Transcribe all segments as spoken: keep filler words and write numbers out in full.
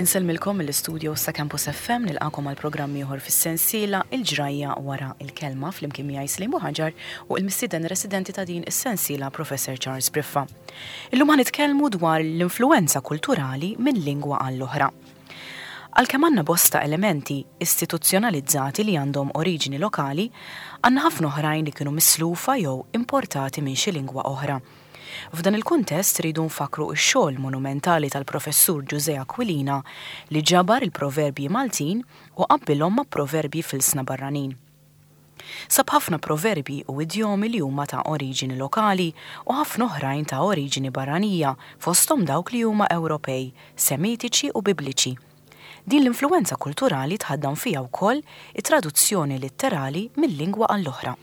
Insellmilkom mill-istudio sa' Campus F M, nilqagħkom għal programm ieħor fis-sensiela Il-Ġrajja Wara il-Kelma, flimkien miegħi Slim Ħaġar u il-mistieden residenti ta' din is-sensiela, Professor Charles Briffa. Illum ħa nitkellmu dwar l-influenza kulturali minn lingwa għall-oħra. Għalkemm għandna bosta elementi istituzzjonalizzati li għandhom oriġini lokali, għandna ħafna oħrajn li kienu mislufa jew importati minn xi lingwa oħra. F'dan il-kuntest rridu nfakru x-xogħol monumentali tal-professur Ġużè Aquilina, li ġabar il-proverbji Maltin u qabbilhom ma' proverbji f'ilsna barranin. Sab ħafna proverbji u idjomi li huma ta' oriġini lokali u ħafna oħrajn ta' oriġini barranija, fosthom dawk li huma Ewropej, Semitiċi u Bibliċi. Din l-influenza kulturali tħaddan fija wkoll it-traduzzjoni litterali mill-lingwa għall-oħra.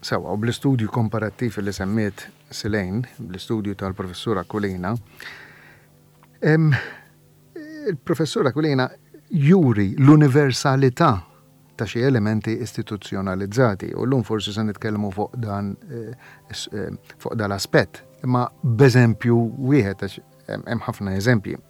Sewa, u bl-istudju komparattiv li semmiet Silejn, bl-istudju tal-professur Aquilina, em, il-professur Aquilina juri l-universalità ta' xi elementi istituzzjonalizzati u llum forsi se nitkellmu fuq dan eh, eh, fuq dal-aspett, imma b'eżempju wieħed, għax hemm ħafna eżempji.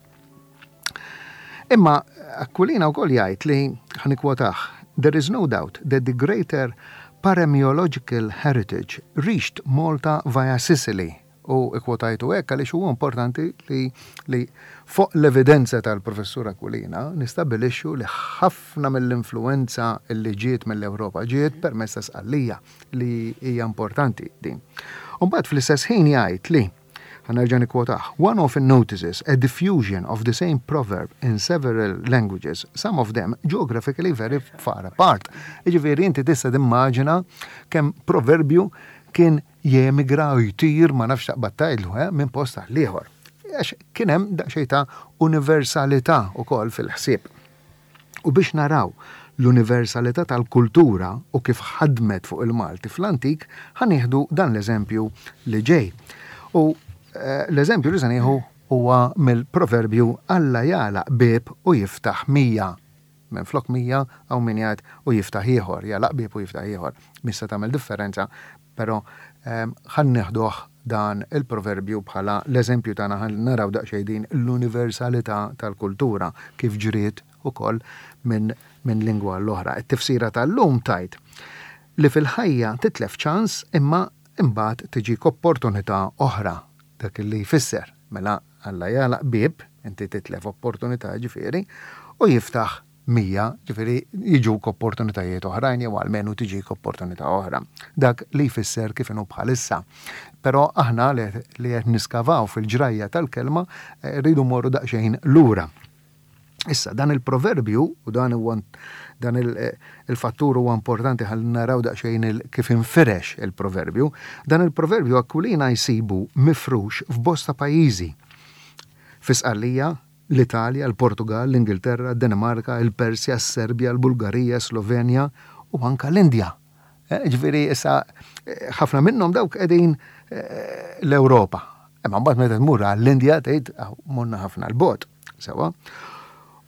Imma Aquilina wkoll jgħid li, ħa nikkwotah, "There is no doubt that the greater paremiological heritage reached Malta via Sicily." U ikkwotajtu hekk għaliex huwa importanti li, li fuq l-evidenza tal-professur Aquilina nistabilixxu li ħafna mill-influenza li ġiet mill-Ewropa ġiet permezz ta' Sqallija, li hija importanti din. U mbagħad fl-istess ħin jgħid li, ħa nerġa' nikkwotah, "One often notices a diffusion of the same proverb in several languages, some of them geographically very far apart." Jiġifieri inti tista' timmaġina kemm proverbju kien jemigra u jtir, ma nafx taqbad tgħidlu, eh, minn post għal ieħor. Għax kien hemm daqsxejn ta' universalità ukoll fil-ħsieb. U biex naraw l-universalità tal-kultura u kif ħadmet fuq il-Malti fl-antik, ħa nieħdu dan l-eżempju li ġej. U eh, l-eżempju li se nieħu huwa mill-proverbju "Alla jagħlaq bieb u jiftaħ mija". Minn flok mija hawn min jgħid "u jiftaħ ieħor", jagħlaq bieb u jiftaħ ieħor. Mista tagħmel differenza, però ehm, ħa nieħduh dan il-proverbju bħala l-eżempju tagħna, ħa naraw daqsxejn din l-universalità tal-kultura kif ġriet ukoll minn min lingwa l-oħra. It-tifsira tal-lum tgħid li fil-ħajja titlef ċans imma imbagħad tiġik opportunità oħra, dak li jfisser. Mela Alla jagħlaq bieb, inti titlef opportunità ġifieri, u jiftaħ mija, ġifieri jiġuk opportunitajiet oħrajn jew almenu tiġik opportunità oħra. Dak li jfisser kif inhu bħalissa. Però aħna li li qed niskavaw fil-ġrajja tal-kelma eh, rridu morru daqsxejn lura. Issa, dan il-proverbju, u dan huwa dan il- eh, il-fattur huwa importanti ħalli naraw daqsxejn il- kif infirex il-proverbju, dan il-proverbju Aquilina jsibu mifrux f'bosta pajjiżi. Fi Sqallija, l-Italja, l-Portugal, l-Ingilterra, Danimarka, il-Persja, s-Serbja, l-Bulgarija, Slovenja u anka l-Indja. Eh, Ġifieri issa eh, ħafna minnhom dawk qegħdin eh, l-Ewropa. Imma mbagħad meta tmur għall-Indja tgħid, "Aw, morna ħafna 'l bogħod." Sewa.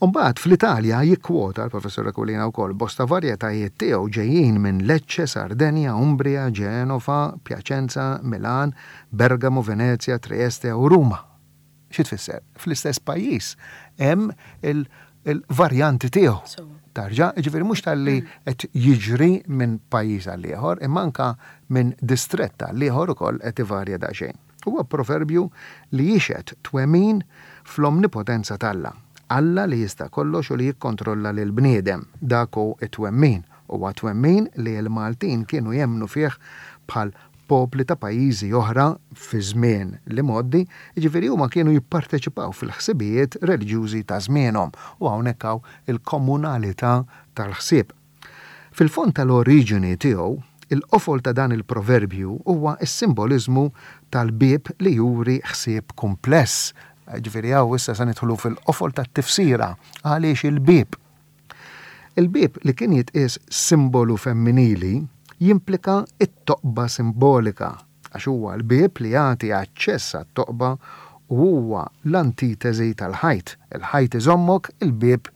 Umbagħad fl-Italja jikkwota l-professor Aquilina wkoll bosta varjetajiet tiegħu ġejjin minn Lecce, Sardenja, Umbria, Genova, Piacenza, Milan, Bergamo, Venezia, Trieste u Ruma. Xi tfisser? Fl-istess pajjiż hemm il- il-varjanti tiegħu. So. Tarġa, ġifieri mhux talli qed jiġri minn pajjiż għal ieħor, imma anka minn distrett għal ieħor ukoll qed ivarja daqsxejn. Huwa proverbju li jixhed twemmin fl-omnipotenza t'Alla. Alla li jista' kollox u li jikkontrolla lil bniedem. Dak hu it-twemmin. Huwa twemmin li l-Maltin kienu jemmnu fih bħal popli ta' pajjiżi oħra fi żmien l-imgħoddi, jiġifieri huma kienu jipparteċipaw fil-ħsibijiet reliġjużi ta' żmienhom u hawnhekk hawn il-komunalità tal-ħsieb. Fil-fond tal-oriġini tiegħu, il-qofol ta' dan il-proverbju huwa s-simbolizmu tal-bieb li juri ħsieb kumpless. Ġifieri hawn issa se nidħlu fil-qofol tat-tifsira għaliex il-bieb. Il-bieb, li kien jitqies simbolu femminili, jimplika it-toqba simbolika, għax huwa l-bieb li jagħti aċċess għat-toqba u huwa l-antitesi tal-ħajt. Il-ħajt iżommok, il-bieb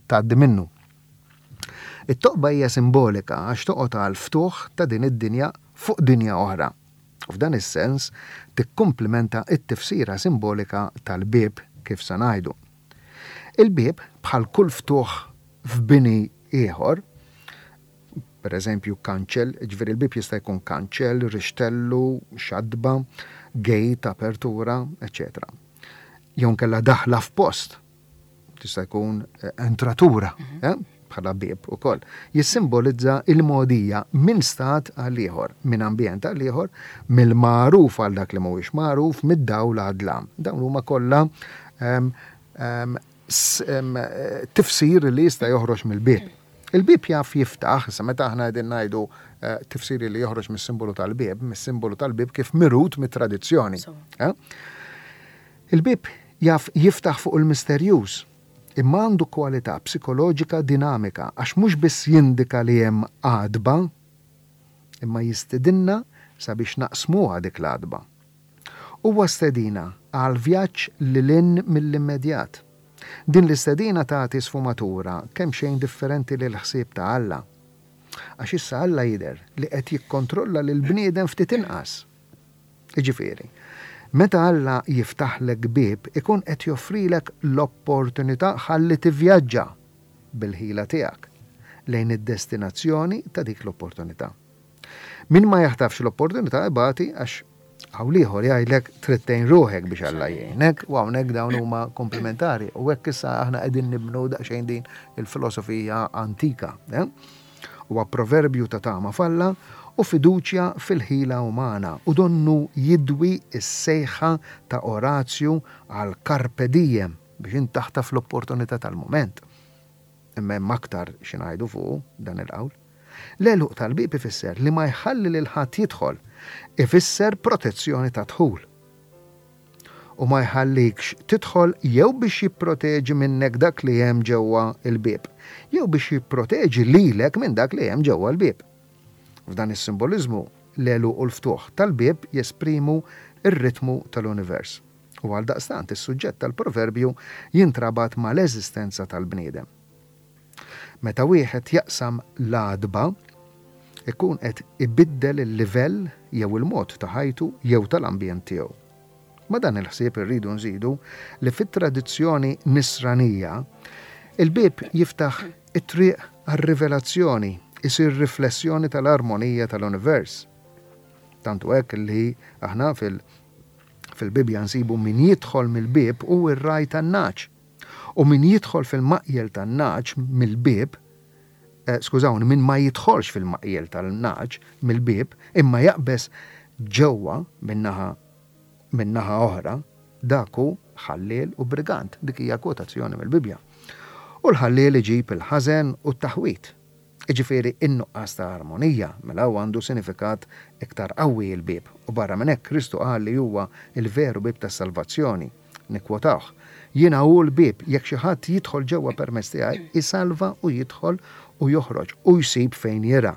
tgħaddi minnu. It-toqba hija simbolika għax toqgħod għal ftuħ ta' din id-dinja fuq dinja oħra. U f'dan is-sens tikkumplimenta it-tifsira simbolika tal-bieb, kif sa ngħidu. Il-bieb, bħal kull ftuħ f'bini ieħor, per eżempju kanċell, ġifieri il-bieb jista' jkun kanċell, rixtellu, xadba, gate, apertura, eċċetera. Jew inkella daħla f'post, tista' jkun eh, entratura, mhm. eh, bħala bieb ukoll. Jissimbolizza il-mogħdija minn stat għal ieħor, minn ambjent għal ieħor, mill-magħruf għal dak li mhuwiex magħruf, mid-dawl għad-dlam. Dawn huma kollha um, um, tifsir li jista' joħroġ mill-bieb. Il-bieb jaf jiftaħ, sa meta aħna qegħdin ngħidu eh, tifsir li joħroġ mis-simbolu tal-bieb, mis-simbolu tal-bieb kif mirut mit-tradizzjoni. Eh? Il-bieb jaf jiftaħ fuq il-misterjuż, imma għandu kwalità psikoloġika dinamika għax mhux biss jindika li hemm għadba, imma jistedinna sabiex naqsmuha dik l-għadba. Huwa stedina għal vjaġġ lil hinn mill-immedjat. Din l-istedina tagħti sfumatura kemxejn differenti lill-ħsieb ta' Alla. Għax issa Alla jidher li qed jikkontrolla lill-bniedem ftit inqas. Jiġifieri, meta Alla jiftaħlek bieb ikun qed joffrilek l-opportunità ħalli tivvjaġġa bil-ħila tiegħek lejn id-destinazzjoni ta' dik l-opportunità. Min ma jaħtafx l-opportunità ibati għax hawn l-ieħor jgħidlek trid tgħin ruħek biex Alla jgħinek, u hawnhekk dawn huma komplementari. U hekk issa aħna qegħdin nibnu daqsxejn din il-filosofija antika. Eh? Huwa proverbju ta' tama f'Alla u fiduċja fil-ħila umana u donnu jidwi s-sejħa ta' Orazju għal carpe diem biex int taħtaf l-opportunità tal-mument. Imma hemm aktar xi ngħidu fuq dan il-qawl. L-għeluq tal-bieb ifisser li ma jħalli lil ħadd jidħol, ifisser protezzjoni ta' dħul. U ma jħallikx tidħol jew biex jipproteġi minnek dak li hemm ġewwa l-bieb, jew biex jipproteġi lilek minn dak li hemm ġewwa l-bieb. F'dan is-simboliżmu, l-għeluq u l-ftuħ tal-bieb jesprimu r-ritmu tal-univers. U għaldaqstant is-suġġett tal-proverbju jintrabat mal-eżistenza tal-bniedem. Meta wieħed jaqsam l-għadba, ikun qed ibiddel il-livell jew il-mod ta' ħajtu jew tal-ambjent tiegħu. Ma' dan il-ħsieb irridu nżidu li fit-tradizzjoni nisranija, il-bieb jiftaħ it-triq għar-rivelazzjoni, isir riflessjoni tal-armonija tal-univers. Tant hu hekk li aħna fil- fil-Bibbja nsibu min jidħol mill-bieb hu r-ragħaj tan-nagħaġ. U min jidħol fil-maqjel tan-nagħaġ mill-bieb, eh, skużawni, min ma jidħolx fil-maqjel tal-nagħaġ mill-bieb, imma jaqbeż ġewwa min-naħa min-naħa oħra, dak hu ħalliel u brigant. Dik hija kwotazzjoni mill-Bibbja. U l-ħalliel iġib il-ħażen u t-taħwid. Jiġifieri in-nuqqas ta' armonija, mela hawn għandu sinifikat iktar qawwi l-bieb. U barra minn hekk Kristu qal li huwa l-veru bieb tas-salvazzjoni. Nikkwotawh, Jiena hu l-bieb, jekk xi ħadd jidħol ġewwa permezz tiegħi, isalva u jidħol u joħroġ u jsib fejn jirgħa.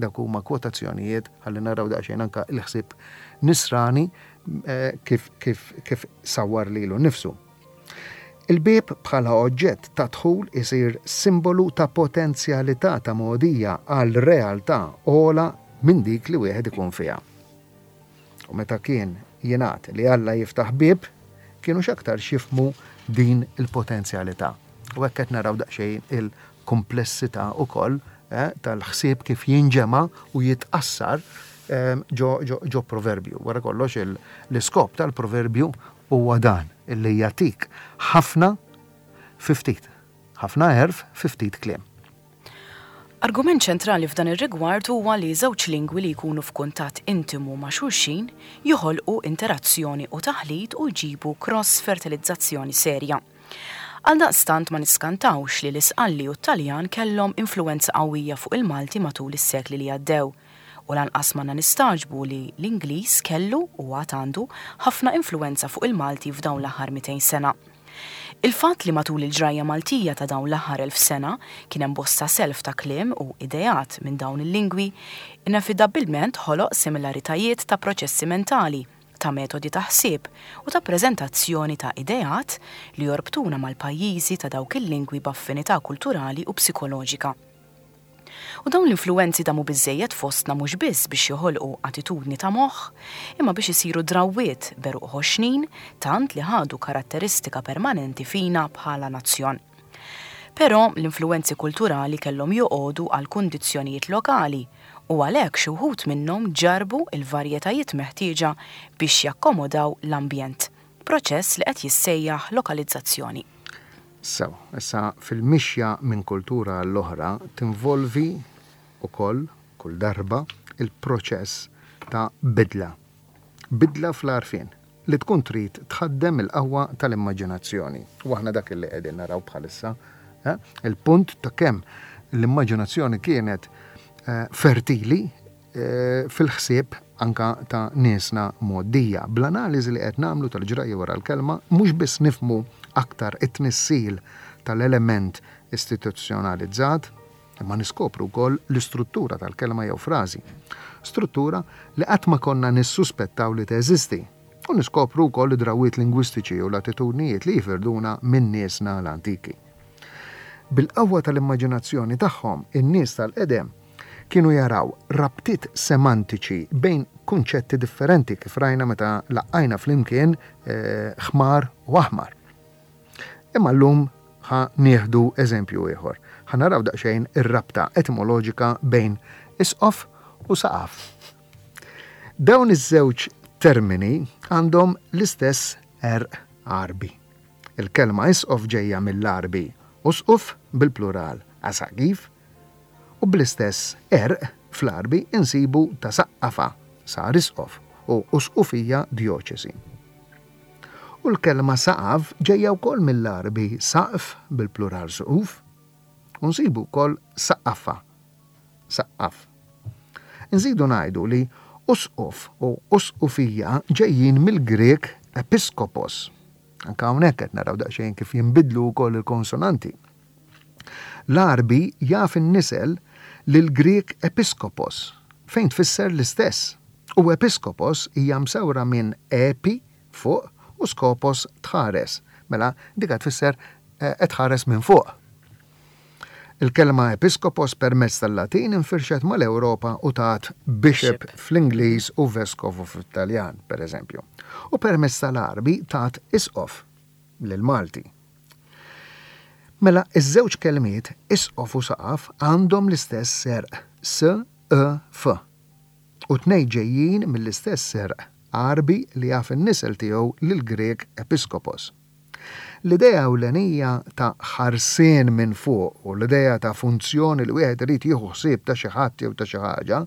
Dawk huma kwotazzjonijiet ħalli naraw daqsxejn anke l-ħsieb nisrani eh, kif, kif, kif sawwar lilu nnifsu. Il-bieb bħala oġġett ta' dħul isir simbolu ta' potenzjalità ta' mogħdija għal realtà ogħla minn dik li wieħed ikun fiha. U meta kien jingħad li Alla jiftaħ bieb, kienu x'aktarx jifhmu din il-potenzjalità. U hekk qed naraw daqsxejn il-kumplessità ukoll eh, tal-ħsieb kif jinġema' u jitqassar eh, ġo, ġo, ġo proverbju. Wara kollox l-iskop tal-proverbju huwa dan, illi jagħtik ħafna fi ftit. Ħafna għerf fi ftit kliem. Argument ċentrali f'dan ir-rigward huwa li żewġ lingwi li jkunu f'kuntatt intimu ma' xulxin joħolqu interazzjoni u taħlit u jġibu cross-fertilizzazzjoni serja. Għaldaqstant ma niskantawx li l-Isqalli u t-Taljan kellhom influwenza qawwija fuq il-Malti matul is-sekli li għaddew, u lanqas m'għandna nistagħġbu li l-Ingliż kellu u għad għandu ħafna influwenza fuq il-Malti f'dawn l-aħħar mitejn sena. Il-fatt li matul il-ġrajja Maltija ta' dawn l-aħħar elf sena kien hemm bosta self ta' kliem u ideat minn dawn il-lingwi inevitabilment ħoloq similaritajiet ta' proċessi mentali, ta' metodi ta' ħsieb u ta' preżentazzjoni ta' ideat li jorbtuna mal-pajjiżi ta' dawk il-lingwi b'affinità kulturali u psikoloġika. U dawn l-influenzi damu biżejjed fostna mhux biss biex joħolqu attitudni ta' moħħ, imma biex isiru drawwiet b'għeruq ħoxnin tant li ħadu karatteristika permanenti fina bħala nazzjon. Però l-influenzi kulturali kellhom joqogħdu għal kundizzjonijiet lokali u għalhekk xi wħud minnhom ġarbu il-varjetajiet meħtieġa biex jakkomodaw l-ambjent. Proċess li qed jissejjaħ lokalizzazzjoni. So, issa fil-mixja minn kultura għall-oħra tinvolvi ukoll kull darba il-proċess ta' bidla. Bidla fl-għarfien li tkun trid tħaddem il-qawwa tal-immaġinazzjoni. U aħna dak li qegħdin naraw bħalissa, eh? Il-punt ta' kemm l-immaġinazzjoni kienet eh, fertili eh, fil-ħsieb anka ta' niesna mgħoddija. Bl-analiżi li qed nagħmlu tal-ġrajja wara l-kelma, mhux biss nifhmu aktar it-tnissil tal-element istituzzjonalizzat, imma niskopru wkoll l-istruttura tal-kelma jew frażi. Struttura li qatt ma konna nissuspettaw li teżisti. U niskopru wkoll id-drawiet lingwistiċi u l-attitudnijiet li jifirduna minn niesna l-antiki. Bil-qawwa tal-immaġinazzjoni tagħhom, in-nies tal-qedem kienu jaraw rabtiet semantiċi bejn kunċetti differenti, kif rajna meta laqqajna flimkien eh, ħmar u aħmar. Imma llum ħa nieħdu eżempju ieħor. Ħa naraw daqsxejn ir-rabta etimoloġika bejn isqof u saqaf. Dawn iż-żewġ termini għandhom l-istess għerq Għarbi. Il-kelma isqof ġejja mill-Għarbi usquf bil-plural asaqif, u bl-istess għerq fl-Għarbi insibu ta' saqqafa sar isqof u usqufija djoċesi. U l-kelma saqaf ġejja wkoll mill-Għarbi saqf bil-plural suquf, u nsibu wkoll saqqafa, saqqaf. Nżidu ngħidu li usquf u usqufija ġejjin mill-Grek episkopos. Anka hawnhekk qed naraw daqsxejn kif jinbidlu wkoll il-konsonanti. L-Għarbi jaf in-nisel lil-Grek episkopos, fejn tfisser l-istess. U episkopos hija msawra minn epi fuq u skopos tħares. Mela dika tfisser eh, qed tħares minn fuq. Il-kelma episkopos permezz tal-Latin infirxet mal-Ewropa u tat bishop Bishop. fl-Ingliż u vescovo fl-Italjan, per eżempju. U permezz tal-Għarbi tat isqof lil-Malti. Mela, iż-żewġ kelmiet isqof u saqaf għandhom l-istess għerq S, E, F. U tnej ġejjin mill-istess għerq Għarbi li jaf in-nisel tiegħu lil-Grek episkopos. L-idea ewlenija ta' ħarsien minn fuq u l-idea ta' funzjoni li wieħed irid jieħu ħsieb ta' xi ħadd jew ta' xi ħaġa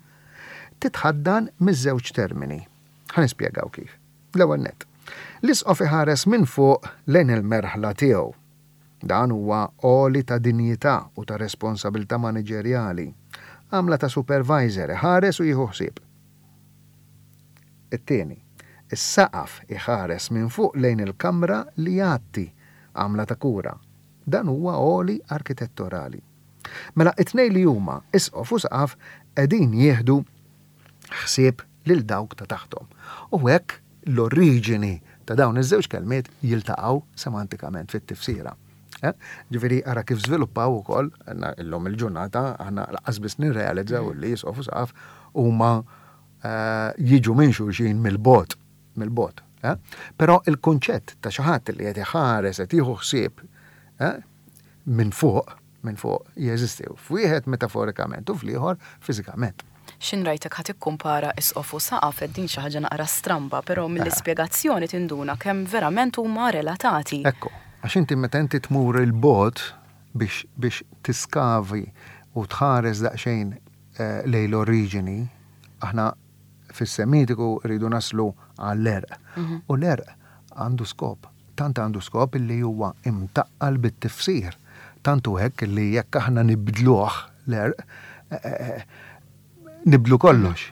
titħaddan miż-żewġ termini. Ħa nispjegaw kif. L-ewwel nett. L-isqof iħares minn fuq lejn il-merħla tiegħu. Dan huwa għoli ta' dinjità u ta' responsabilità maniġerjali. Għamla ta' supervisor iħares u jieħu ħsieb. It-tieni, is-saqaf iħares minn fuq lejn il-kamra li jgħatti, għamla ta' kura. Dan huwa għoli arkitetturali. Mela it-tnejn li huma isqof u saqaf qegħdin jieħdu ħsieb lil dawk ta' taħtom. U hekk l-oriġini ta' dawn iż-żewġ kelmiet jiltaqgħu semantikament fit-tifsira. Eh? Ġifieri ara kif żviluppaw ukoll għandna illum il-ġurnata aħna lanqas biss nirrealizzaw li isqof u saqaf huma eh, jiġu minn xulxin mill-bogħod, mill-bogħod. Eh? Però il-kunċett ta' xi ħadd li qed iħares qed jieħu ħsieb eh, minn fuq, minn fuq jeżisti f'wieħed metaforikament u fl-ieħor fiżikament. Xin rajtek ħa tikkumpara isqof u saqaf, din xi ħaġa naqra stramba, però mill-ispjegazzjoni tinduna kemm verament huma relatati. Ekku, għax inti meta inti tmur il-bogħod biex, biex tiskavi u tħares daqsxejn eh, lejn l-oriġini, aħna fis-semitiku rridu naslu għall-għerq. U l-għerq għandu skop, tant għandu skop illi huwa imtaqqal bit-tifsir. Tantu hekk illi jekk aħna nibdluh l-għerq, eh, eh, nibdlu kollox.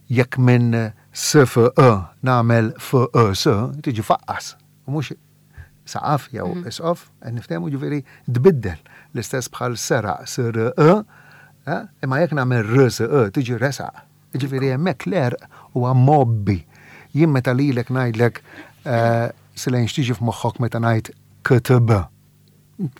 Jekk minn S F E nagħmel F E S, tiġi faqqas. U mhux saqaf jew Mhm. isqof, qed niftehmu, ġifieri tbiddel. L-istess bħal seraq S R E, eh, imma jekk nagħmel R S E tiġi resaq. Ġifieri hemmhekk l-għerq huwa mobbi. Jien meta lilek ngħidlek, eh, Silejn, x'tiġi f'moħħok meta ngħid K T B.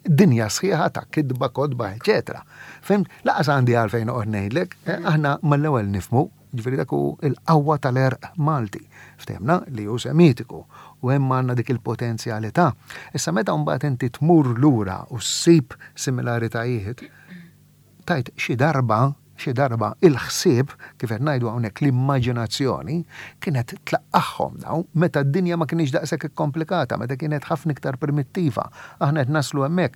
Dinja sħiħa ta' kitba, kotba, eċetera. Fhimt, lanqas għandi għalfejn noqgħod ngħidlek, eh, aħna mal-ewwel nifhmu, ġifieri dak hu il-qawwa tal-għerq Malti. Ftehmna li hu Semitiku u hemm għandna dik il-potenzjalità. Issa meta mbagħad inti tmur lura u ssib similaritajiet, tgħid xi darba, xi darba il-ħsieb, kif qed ngħidu hawnhekk l-immaġinazzjoni, kienet tlaqqagħhom dawn meta d-dinja ma kienx daqshekk ikkomplikata, meta kienet ħafna iktar primittiva. Aħna qed naslu hemmhekk.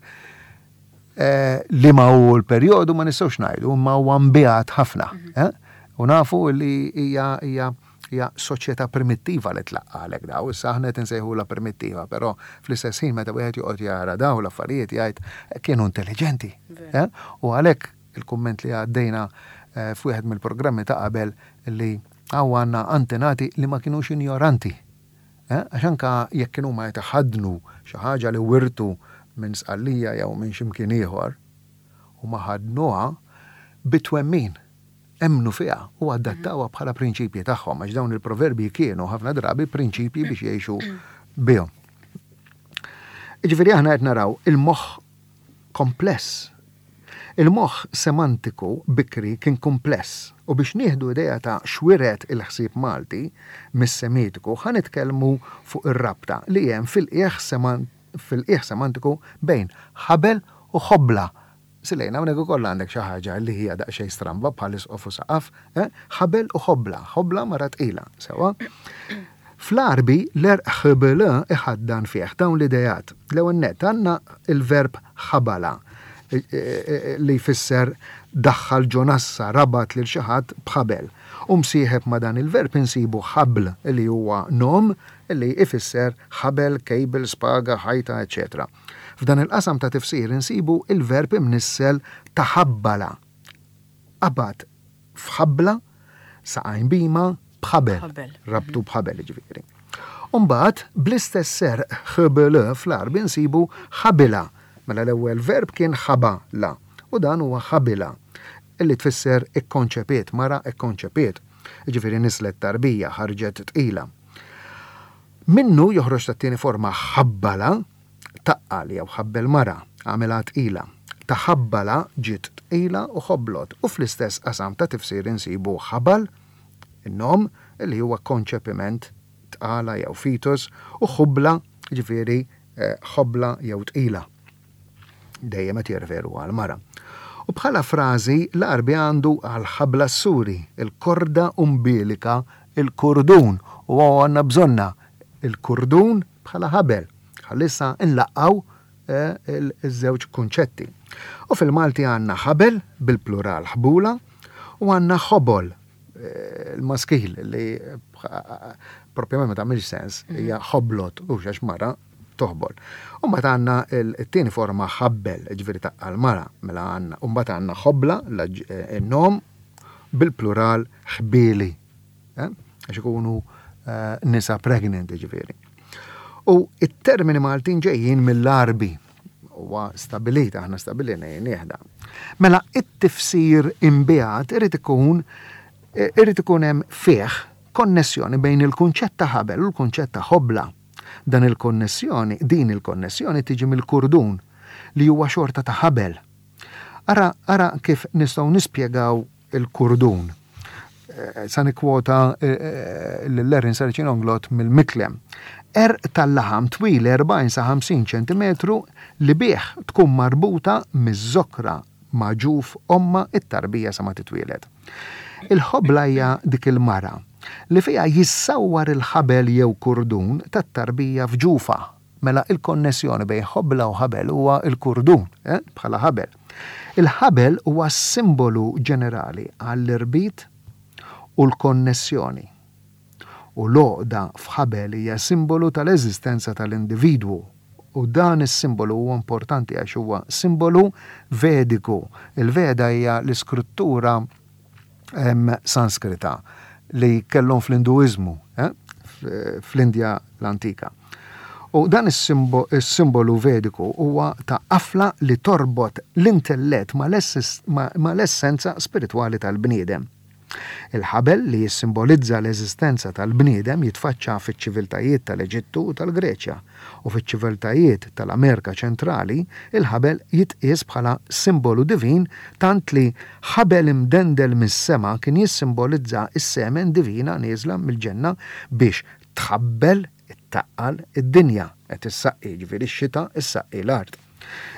Eh, li ma hu l-perjodu ma nistgħux ngħidu, ma huwa mbiegħed ħafna. eh? U nafu li hija hija hija soċjetà primittiva li tlaqqagħlek daw, issa aħna qed insejħulha primittiva, però fl-istess ħin meta wieħed joqgħod jara daw l-affarijiet jgħid kienu intelligenti. eh? U għalhekk il-kumment li għaddejna eh, f'wieħed mill-programmi ta' qabel li hawn għandna antenati li ma kienux ignoranti. Eh? Għax anka jekk kienu ma jtaħadnu xi ħaġa li wirtu minn Sqallija jew minn x'imkien ieħor u ma ħadnuha bit-twemmin emmnu fiha u adattawha bħala prinċipji tagħhom għax dawn il-proverbi kienu ħafna drabi prinċipji biex jgħixu bihom. Ġifieri aħna qed naraw il-moħħ kompless. Il-moħħ semantiku bikri kien kompless u biex nieħdu idea ta' x'wiret il-ħsieb Malti mis-Semitiku ħa nitkellmu fuq ir-rabta li hemm fil-qiegħ seman fil-qiegħ semantiku bejn ħabel u ħobla. Silejna, hawnhekk ukoll għandek xi ħaġa li hija daqsxejn stramba bħal isqof u saqaf, eh? Ħabel u ħobla, ħobla mara tqila, sewwa. Fl-Għarbi l-għerq ħbl iħaddan fih dawn l-idejat. L-ewwel nett għandna il-verb ħabala e, e, e, li jfisser daħħal ġo nassa, rabat lil xi ħadd b'ħabel. U msieħeb ma' dan il-verb insibu ħabl li huwa nom li ifisser ħabel, cable, spaga, ħajta, eċetera. F'dan il-qasam ta' tifsir insibu il-verb imnissel taħabbala. Qabad f'ħabla, saqajn bhima, b'ħabel. Ħabel. Rabtu b'ħabel ġifieri. Umbagħad, bl-istess għerq ħbl fl-Għarbi nsibu ħabila. Mela l-ewwel verb kien ħabala u dan huwa ħabila illi tfisser ikkonċepiet, mara ikkonċepiet. Ġifieri nislet tarbija, ħarġet tqila. Minnu joħroġ tat-tieni forma ħabbala, taqqal jew ħabbel mara, għamilha tqila. Taħabbala ġiet tqila u ħoblot u fl-istess qasam ta' tifsir insibu ħabal, in-nom li huwa konċepiment tqala jew fetus u ħubla ġifieri eh, ħobla jew tqila. Dejjem qed jirreferu għal mara. U bħala frażi l-Għarbi għandu għal ħabla s-suri, il-korda umbilika, il-kurdun, u għandna bżonna il-kurdun bħala ħabel. Ħallissa nlaqqaw eh, il-żewġ kunċetti. U fil-Malti għandna ħabel bil-plural ħbula u għandna ħobol eh, il-maskil li eh, propjament ma tagħmilx sens, hija ħoblot u għax mara toħbol. U mbagħad għandna il-tieni forma ħabbel, ġifieri taqqal mara, mela għandna, u mbagħad għandna ħobla, il-nom bil-plural ħbieli, eh? Għax ikunu eh, nisa pregnant ġifieri. U it-termini Maltin ġejjin mill-Għarbi, huwa stabilita, aħna stabilina nieħda. Mela it-tifsir imbiegħed irid ikun irid ikun hemm fih konnessjoni bejn il-kunċett ta' ħabel u l-kunċett ta' ħobla. Dan il-konnessjoni, din il-konnessjoni tiġi mill-kurdun li huwa xorta ta' ħabel. Ara, ara kif nistgħu nispjegaw il-kurdun. Eh, Sa nikkwota eh, lil Erin Saracino Inglott mill-Miklem. Għerq tal-laħam twil erbgħin sa ħamsin ċentimetru li bih tkun marbuta miż-żokra ma' ġuf omma it-tarbija sa ma titwieled. Il-ħobla hija dik il-mara li fiha jissawwar il-ħabel jew kurdun tat-tarbija f'ġufa. Mela il-konnessjoni bejn ħobla u ħabel huwa il-kurdun, eh, bħala ħabel. Il-ħabel huwa simbolu ġenerali għall-irbit u l-konnessjoni. U l-għoqda f'ħabel hija simbolu tal-eżistenza tal-individwu. U dan is-simbolu huwa importanti għax huwa simbolu vediku. Il-Veda hija l-iskrittura em, Sanskrita li kellhom fl-Induiżmu, eh, fl-Indja l-antika. U dan is-simbolu vediku huwa ta' qafla li torbot l-intellett mal-essenza spiritwali tal-bniedem. Il-ħabel li jissimbolizza l-eżistenza tal-bniedem jitfaċċa fiċ-ċiviltajiet tal-Eġittu u tal-Greċja u fiċ-ċiviltajiet tal-Amerika Ċentrali il-ħabel jitqies bħala simbolu divin tant li ħabel imdendel mis-sema kien jissimbolizza is-semen divina nieżla mill-ġenna biex tħabbel ittaqqal id-dinja qed issaqqi ġifieri x-xita issaqqi l-art.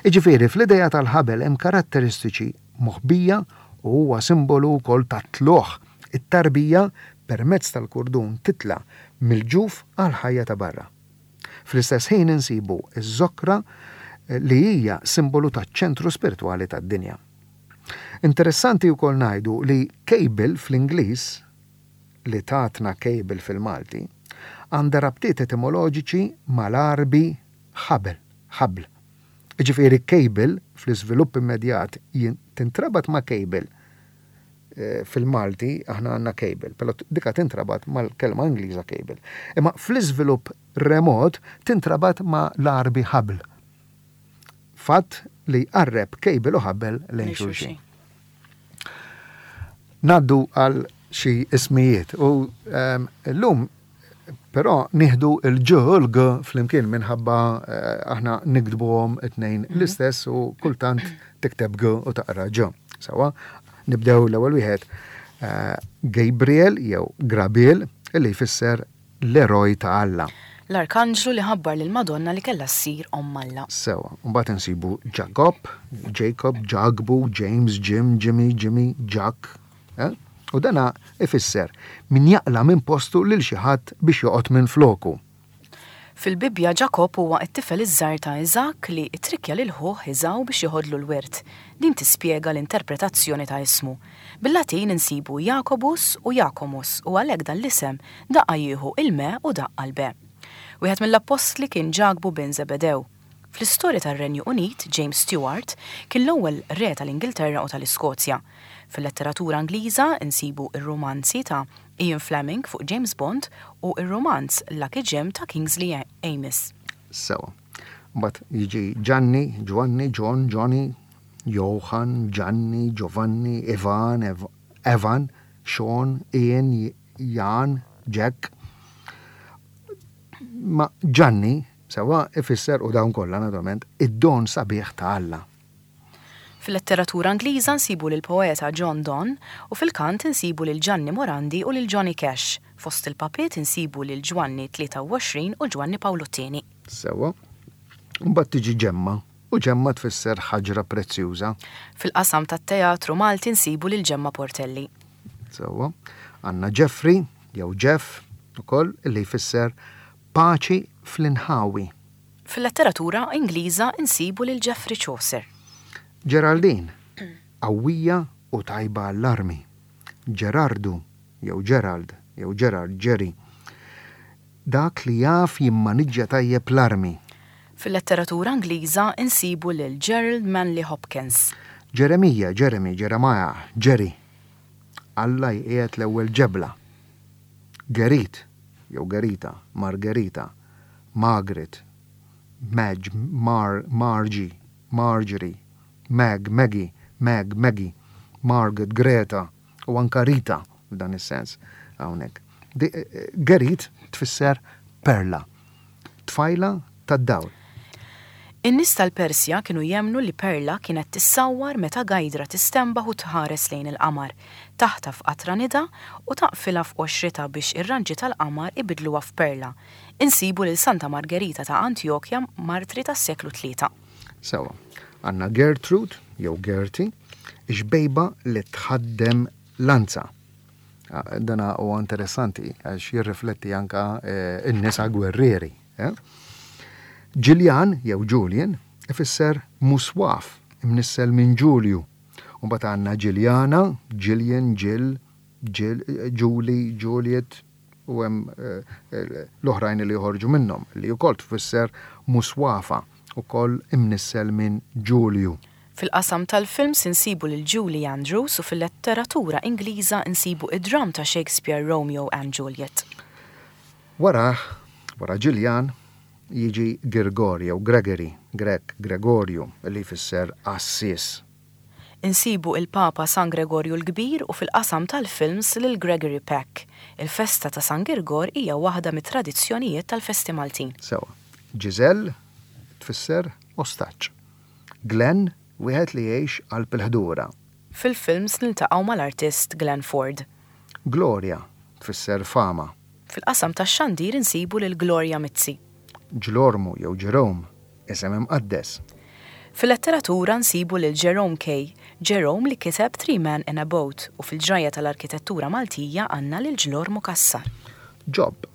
Iġifieri fl-idea tal-ħabel hemm karatteristiċi moħbija u huwa simbolu wkoll ta' tlugħ it-tarbija permezz tal-kurdun titla' mill-ġuf għal ħajja ta' barra. Fl-istess ħin insibu iż-żokra li hija simbolu taċ-ċentru spiritwali tad-dinja. Interessanti wkoll ngħidu li cable fl-Ingliż li tatna cable fil-Malti għandha rabtiet etimoloġiċi mal-Għarbi ħabel, ħabl. Ġifieri cable fl-iżvilupp immedjat tintrabat ma' cable eh, fil-Malti aħna għandna cable, però dika tintrabat mal-kelma Ingliża cable. Imma fl-iżvilupp remot tintrabat ma' l-Għarbi ħabl. Fatt li jqarreb cable u ħabel lejn xulxin. Ngħaddu għal xi ismijiet u ehm, llum però nieħdu il-ġ u l-g flimkien minħabba eh, aħna niktbuhom it-tnejn mhm. l-istess u kultant tikteb g u taqra ġ. Sawa, nibdew l-ewwel wieħed eh, Gabriel jew Grabiel illi jfisser l-eroj ta' Alla. L-arkanġlu li ħabbar lil Madonna li kellha ssir omm Alla. Sewa, mbagħad insibu Jacob, Jacob, Ġakbu, James, Jim, Jimmy, Jimmy, Jack. Eh? U dana ifisser min jaqla minn postu lil xi ħadd biex joqgħod minn floku. Fil-Bibbja Ġakob huwa t-tifel iż-żgħir ta' Iżakk li ttrikkja lil ħuh Iżaw biex joħodlu l-wirt. Din tispjega l-interpretazzjoni ta' ismu. Bil-Latin insibu Jacobus u Jacomus u għalhekk dan l-isem daqqa jieħu il-me u daqqa l-be. Wieħed mill-appostli kien Ġakbu bin Zebedew. Fl-istorja tar-Renju Unit, James Stuart kien l-ewwel re tal-Ingilterra u tal-Iskozja. Fil-letteratura Ingliża insibu ir-romanzi ta' Ian Fleming fuq James Bond u ir-romanz Lucky Jim ta' Kingsley Amis. Sewa. Mbagħad jiġi Gianni, Giovanni, John, Johnny, Johan, Gianni, Giovanni, Ivan, Ev Evan, Sean, Ian, Jan, Jack. Ma Gianni, sewa, ifisser u dawn kollha naturalment, id-don sabiħ ta' Alla. Fil-letteratura Ingliża nsibu lil poeta John Donne u fil-kant insibu lil Gianni Morandi u lil Johnny Cash. Fost il-papiet insibu lil Ġwanni tlieta u għoxrin u Ġwanni Pawlu t-tieni. Sewa. Mbagħad tiġi Ġemma, u Ġemma tfisser ħaġra prezzjuża. Fil-qasam tat-teatru Malti nsibu lil Ġemma Portelli. Sewa. Għandna Jeffrey, jew Jeff, ukoll illi jfisser paċi fl-inħawi. Fil-letteratura Ingliża insibu lil Geoffrey Chaucer. Geraldine, qawwija u tajba għall-armi. Gerardu, jew Gerald, jew Gerard, Jerry. Dak li jaf jimmaniġġja tajjeb l-armi. Fil-letteratura Ingliża insibu lil Gerald Manley Hopkins. Ġeremija, Jeremy, Jeremiah, Jerry. Alla jqiegħed l-ewwel ġebla. Gerit, jew Gerita, Margherita, Margaret, Madge, Mar, Margie, Marjorie, Mag, Maggie, Mag, Maggie, Margaret, Greta u anka Rita f'dan is-sens hawnhekk. Eh, Gerit tfisser perla, tfajla tad-dawl. In-nies tal-Persja kienu jemnu li perla kienet tissawwar meta gajdra tistenbaħ u tħares lejn il-qamar, taħtaf qatra nida u taqfilha f'qoxritha biex ir-raġġi tal-qamar ibidluha f'perla. Insibu lil Santa Margherita ta' Antjokja, martri tas-seklu tlieta. Sewa, għandna Gertrude, jew Gertie, xbejba li tħaddem lanza. Ah, dana huwa interessanti għax jirrifletti anka eh, n-nisa gwerrieri. Eh? Ġiljan jew Julian ifisser muswaf, imnissel minn Ġulju. U mbagħad għandna Ġiljana, Gillian, Jill, Jill, Julie, Juliet u hemm eh, l-oħrajn li joħorġu minnhom li wkoll tfisser muswafa ukoll imnissel minn Ġulju. Fil-qasam tal-films insibu lil Julie Andrews u fil-letteratura Ingliża insibu id-dram ta' Shakespeare Romeo and Juliet. Wara, wara Ġiljan, jiġi Girgor jew Gregory, Grek, Gregorju, li jfisser assis. Insibu il-Papa San Gregorju l-Kbir u fil-qasam tal-films lil Gregory Peck. Il-festa ta' San Girgor hija waħda mit-tradizzjonijiet tal-festi Maltin. Sewa. Giselle tfisser ostaġġ. Glenn, wieħed li jgħix qalb il-ħdura. Fil-films niltaqgħu mal-artist Glenn Ford. Gloria tfisser fama. Fil-qasam tax-xandir insibu lil Gloria Mizzi. Ġlormu jew Jerome, isem imqaddes. Fil-letteratura nsibu lil Jerome K. Jerome li kiteb Three Men in a Boat u fil-ġrajja tal-arkitettura Maltija għandna lil Ġlormu Cassar. Job,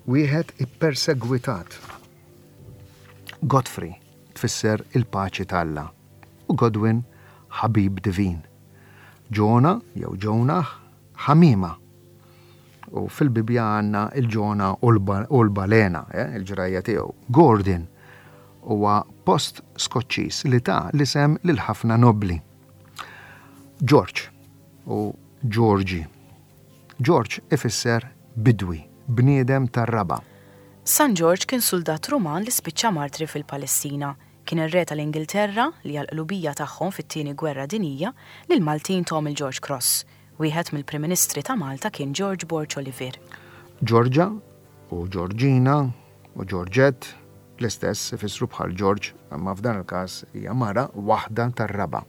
wieħed ippersegwitat. Godfrey tfisser il-paċi t'Alla u Godwin ħabib divin. Ġona jew Jonah ħamima. U fil-Bibja għandna il-Ġona u l-balena, eh, il-ġrajja tiegħu. Gordon huwa post Skoċċiż li ta l-isem lil ħafna nobli. George u Georgi. George ifisser bidwi, bniedem tar-raba. San George kien soldat Ruman li spiċċa martri fil-Palestina. Kien ir-re tal-Ingilterra li għal-qlubija tagħhom fit-tieni gwerra dinija lil Maltin tahom il-George Cross. Wieħed mill-Prim Ministri ta' Malta kien George Borg Olivier. Georgia u Georgina u Georgette l-istess ifissru bħal George, imma f'dan il-każ hija mara waħda tar-raba.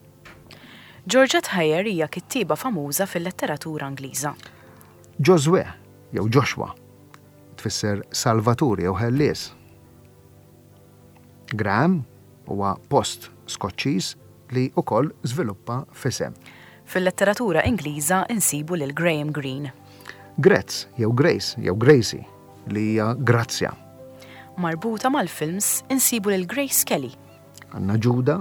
Georgette Heyer hija kittiba famuża fil-letteratura Ingliża. Josue jew Joshua tfisser Salvatur jew Ħellies. Graham huwa post Skoċċiż li wkoll żviluppa f'isem. Fil-letteratura Ingliża insibu lil Graham Greene. Grezz jew Grace jew Gracie li hija Grazzja. Marbuta mal-films insibu lil Grace Kelly. Għandna Ġuda,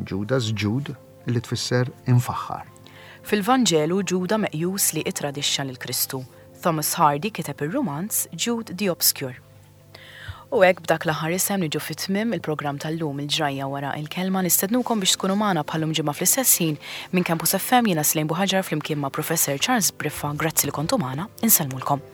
Judas Jude li tfisser infaħħar. Fil-Vanġelu Ġuda meqjus li itradixxa lil Kristu. Thomas Hardy kiteb ir-romanz Jude the Obscure. U hekk b'dak l-aħħar isem niġu fit-tmiem il-programm tal-lum il-ġrajja wara il-kelma nistednukom biex tkunu magħna bħal-lum ġimgħa fl-istess ħin minn Campus FM jiena Slejn Buħaġar flimkien ma' Professor Charles Briffa. Grazzi li kontu magħna, insellmulkom.